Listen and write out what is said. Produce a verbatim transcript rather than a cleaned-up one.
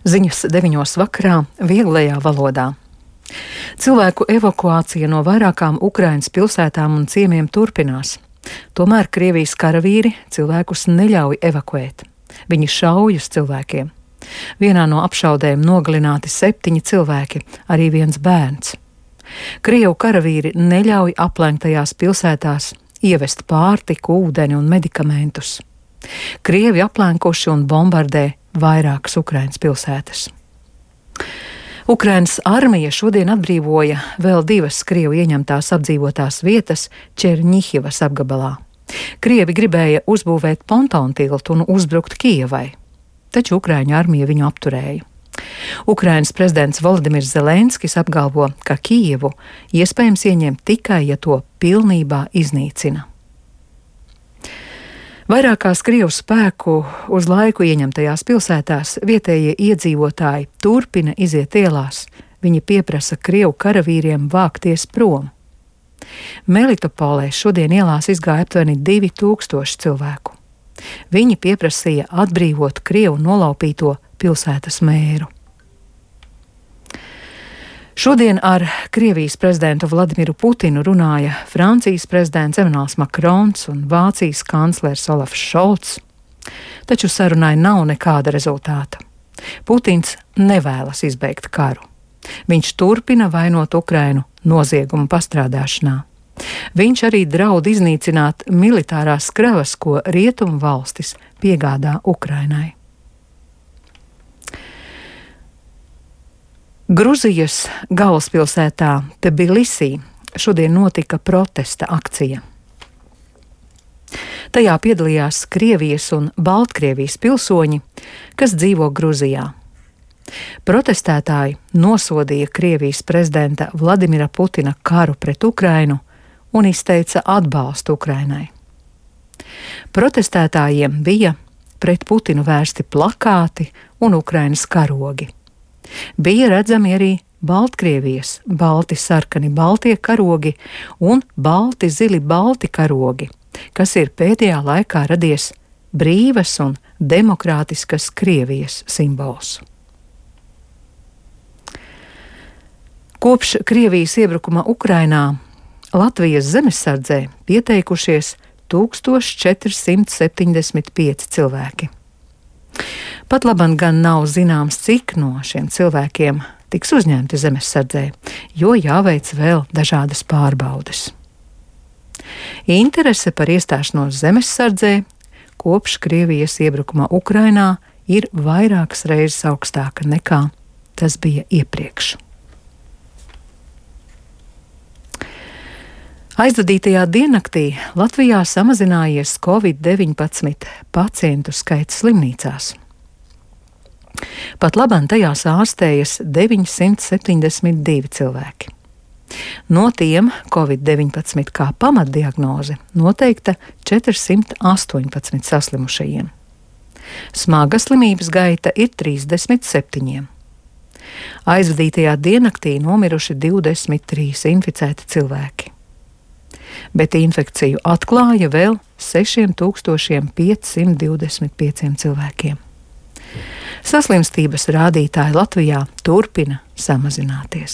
Ziņas deviņos vakarā vieglajā valodā. Cilvēku evakuācija no vairākām Ukrainas pilsētām un ciemiem turpinās. Tomēr Krievijas karavīri cilvēkus neļauj evakuēt. Viņi šauj uz cilvēkiem. Vienā no apšaudēm nogalināti septiņi cilvēki, arī viens bērns. Krievu karavīri neļauj aplenktajās pilsētās ievest pārtiku, ūdeni un medikamentus. Krievi aplenkuši un bombardē vairākas Ukrainas pilsētas. Ukrainas armija šodien atbrīvoja vēl divas Krievu ieņemtās apdzīvotās vietas Černihivas apgabalā. Krievi gribēja uzbūvēt pontonu tiltu un uzbrukt Kijevai, taču Ukraiņu armija viņu apturēja. Ukrainas prezidents Volodimirs Zelenskis apgalvo, ka Kijevu iespējams ieņemt tikai, ja to pilnībā iznīcina. Vairākās Krievu spēku uz laiku ieņemtajās pilsētās vietējie iedzīvotāji turpina iziet ielās. Viņi pieprasa Krievu karavīriem vākties prom. Melitopolē šodien ielās izgāja aptuveni divi tūkstoši cilvēku. Viņi pieprasīja atbrīvot Krievu nolaupīto pilsētas mēru. Šodien ar Krievijas prezidentu Vladimiru Putinu runāja Francijas prezidents Emmanuels Makrons un Vācijas kanclers Olafs Šolts, taču sarunai nav nekāda rezultāta. Putins nevēlas izbeigt karu. Viņš turpina vainot Ukrainu noziegumu pastrādāšanā. Viņš arī draud iznīcināt militārās kravas, ko rietumu valstis piegādā Ukrainai. Gruzijas galvaspilsētā Tbilisī šodien notika protesta akcija. Tajā piedalījās Krievijas un Baltkrievijas pilsoņi, kas dzīvo Gruzijā. Protestētāji nosodīja Krievijas prezidenta Vladimira Putina karu pret Ukrainu un izteica atbalstu Ukrainai. Protestētājiem bija pret Putinu vērsti plakāti un Ukrainas karogi. Bija redzami arī Baltkrievijas balti sarkani baltie karogi un balti zili balti karogi, kas ir pēdējā laikā radies brīvas un demokrātiskas Krievijas simbols. Kopš Krievijas iebrukuma Ukrainā Latvijas zemesardzē pieteikušies tūkstoš četri simti septiņdesmit pieci cilvēki. Pat labam gan nav zināms, cik no šiem cilvēkiem tiks uzņemti zemesardzē, jo jāveic vēl dažādas pārbaudes. Interese par iestāšanos zemesardzē kopš Krievijas iebrukuma Ukrainā ir vairākas reizes augstāka nekā tas bija iepriekš. Aizvadītajā diennaktī Latvijā samazinājies covid deviņpadsmit pacientu skaits slimnīcās. Pat labam tajās ārstējas deviņsimt septiņdesmit divi cilvēki. No tiem covid deviņpadsmit kā pamatdiagnoze noteikta četrsimt astoņpadsmit saslimušajiem. Smaga slimības gaita ir trīsdesmit septiņiem. Aizvadītajā diennaktī nomiruši divdesmit trīs inficēti cilvēki. Bet infekciju atklāja vēl sešiem tūkstošiem piecsimt divdesmit pieciem cilvēkiem. Saslimstības rādītāji Latvijā turpina samazināties.